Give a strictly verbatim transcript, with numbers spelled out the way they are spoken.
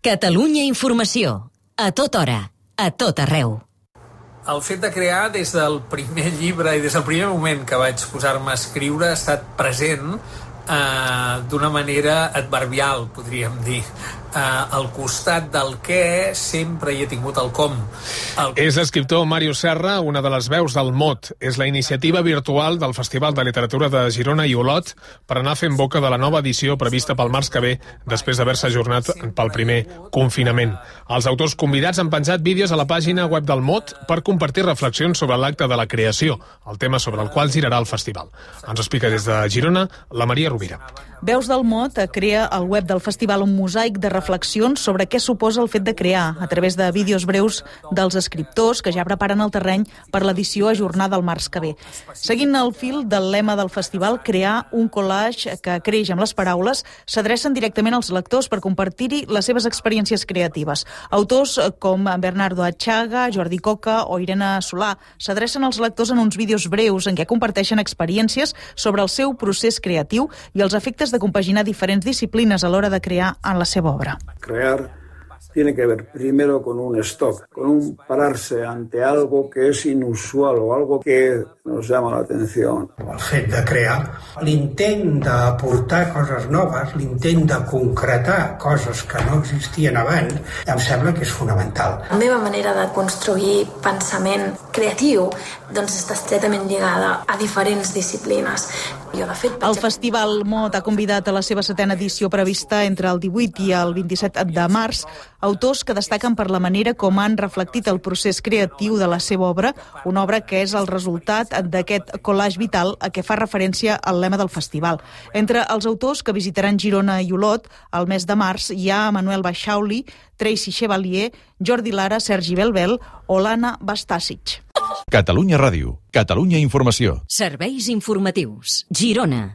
Catalunya Informació. A tota hora, a tot arreu. El fet de crear, des del primer llibre i des del primer moment que vaig posar-me a escriure, ha estat present eh, d'una manera adverbial, podríem dir. Eh, al costat del què sempre hi he tingut el com. El... És l'escriptor Màrius Serra, una de les veus del mot. És la iniciativa virtual del Festival de Literatura de Girona i Olot per anar fent boca de la nova edició prevista pel març que ve, després d'haver-se ajornat pel primer confinament. Els autors convidats han penjat vídeos a la pàgina web del mot per compartir reflexions sobre l'acte de la creació, el tema sobre el qual girarà el festival. Ens explica des de Girona la Maria Rovira. Veus del Mot crea al web del festival un mosaic de reflexions sobre què suposa el fet de crear, a través de vídeos breus dels escriptors que ja preparen el terreny per l'edició ajornada al març que ve. Seguint el fil del lema del festival, crear un collage que creix amb les paraules, s'adrecen directament als lectors per compartir-hi les seves experiències creatives. Autors com Bernardo Achaga, Jordi Coca o Irene Solà s'adrecen als lectors en uns vídeos breus en què comparteixen experiències sobre el seu procés creatiu i els efectes de compaginar diferents disciplines a l'hora de crear en la seva obra. Crear tiene que ver primero con un stock, con un pararse ante algo que es inusual o algo que nos llama la atención. El fet de crear, l'intent d'aportar coses noves, l'intent de concretar coses que no existien abans, em sembla que és fonamental. La meva manera de construir pensament creatiu doncs està estretament lligada a diferents disciplines. Jo, de fet, el Festival Mot ha convidat a la seva setena edició prevista entre el divuit i el vint-i-set de març autors que destaquen per la manera com han reflectit el procés creatiu de la seva obra, una obra que és el resultat d'aquest collage vital a què fa referència al lema del festival. Entre els autors que visitaran Girona i Olot el mes de març hi ha Manuel Baixauli, Tracy Chevalier, Jordi Lara, Sergi Belbel o l'Anna Bastàsic. Catalunya Ràdio, Catalunya Informació. Serveis informatius. Girona.